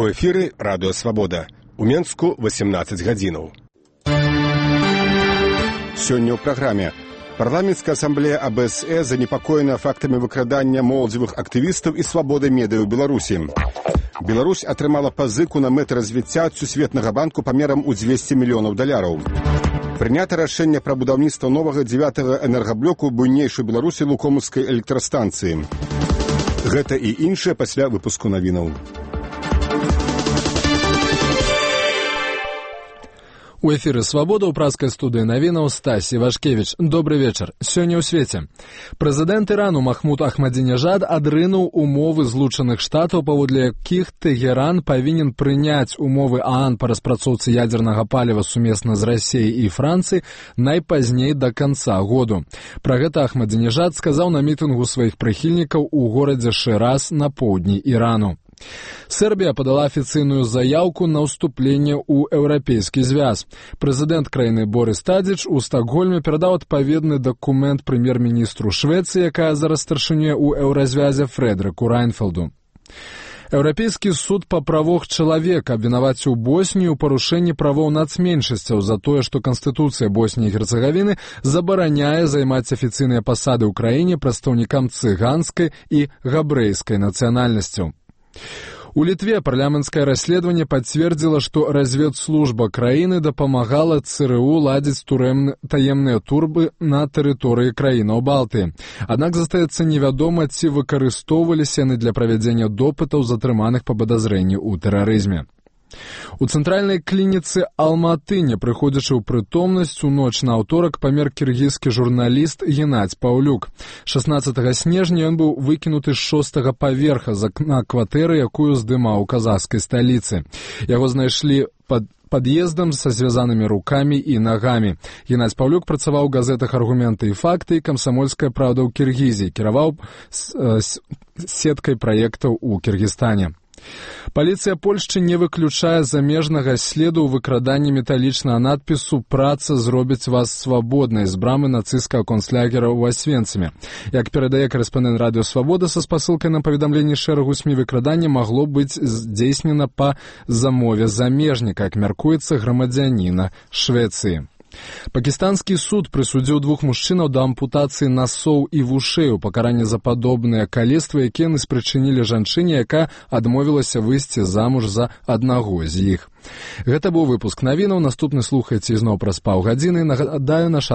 У эфіры Радыё Свабода. У Менску 18 гадзінаў. Сёння ў праграме. Парламенцкая асамблея АБСЭ занепакоена фактамі выкрадання моладзевых актывістаў і свабоды медыа ў Беларусі. Беларусь атрымала пазыку на мэты развіцця ад Сусветнага банку памерам у $200 мільёнаў. Прынята рашэнне пра будаўніцтва новага 9-го энергаблоку буйнейшай Беларусі Лукомаўскай электрастанцыі. Гэта і іншае пасля выпуску навінаў. У эфіры «Свабода» ў праскай студыі навінаў Стась Івашкевіч. Добры вечар. Сёння ў свеце. Прэзідэнт Ірану Махмуд Ахмадзінежад адрынуў умовы Злучаных Штатаў, паводле якіх Тэгеран павінен прыняць умовы ААН па распрацоўцы ядзернага паліва сумесна з Расіяй і Францыяй найпазней да канца году. Пра гэта Ахмадзінежад сказаў на мітынгу сваіх прыхільнікаў у горадзе Шыраз на поўдні Ірану. Сербія падала афіцыйную заяўку на ўступленне ў еўрапейскі звяз. Прэзідэнт краіны Борис Тадзіч у Стакгольме перадаў адпаведны дакумент прэм'ер-міністру Швецыі, якая зараз старшынёй у еўразвязе Фрэдрыку Райнфелду. Еўрапейскі суд па правах чалавека абвінаваціў Боснію ў парушэнні правоў нацменшасцяў за тое, што Канстытуцыя Босніі і Герцеговіны забараняе займаць афіцыйныя пасады ў краіне прадстаўнікам цыганскай і габрэйскай нацыянальнасцяў. У Літве парламенцкае расследаванне пацвердзіла, што разведслужба краіны дапамагала ЦРУ ладзіць таемныя турбы на тэрыторыі краінаў Балтыі. Аднак застаецца невядома, ці выкарыстоўваліся яны для правядзення допытаў затрыманых па падазрэнні ў тэрарызме. У цэнтральнай клініцы Алматы, не прыходзячы ў прытомнасць, у ноч на аўторак памер кіргізскі журналіст Геннадзь Паўлюк. 16 снежня ён быў выкінуты з 6-го паверха з акна кватэры, якую здымаў у казахскай сталіцы. Яго знайшлі пад пад'ездам са звязанымі рукамі і нагамі. Геннадзь Паўлюк працаваў у газетах «Аргументы і факты» і «Камсамольская правда» ў Кіргізіі, кіраваў сеткай праектаў у Кіргізстане. Паліцыя Польшчы не выключае замежнага следу ў выкраданні металічнага надпісу «Праца зробіць вас свабоднай» з брамы нацысцкага концлагера ў Асвенцыме. Як перадае корэспандэнт Радыё Свабода, са спасылкай на паведамленні шэрагу СМІ, выкраданне магло быць здзейснена па замове замежніка, як мяркуецца, грамадзяніна Швецыі. Пакістанскі суд прысудзіў 2 мужчынаў да ампутацыі насоў і вушэй у пакаранні за падобныя калецтвы, якія яны спрычынілі жанчыне, якая адмовілася выйсці замуж за аднаго з іх. Гэта быў выпуск навінаў. Наступны слухайце ізноў праз паўгадзіны. Нагадаю, наш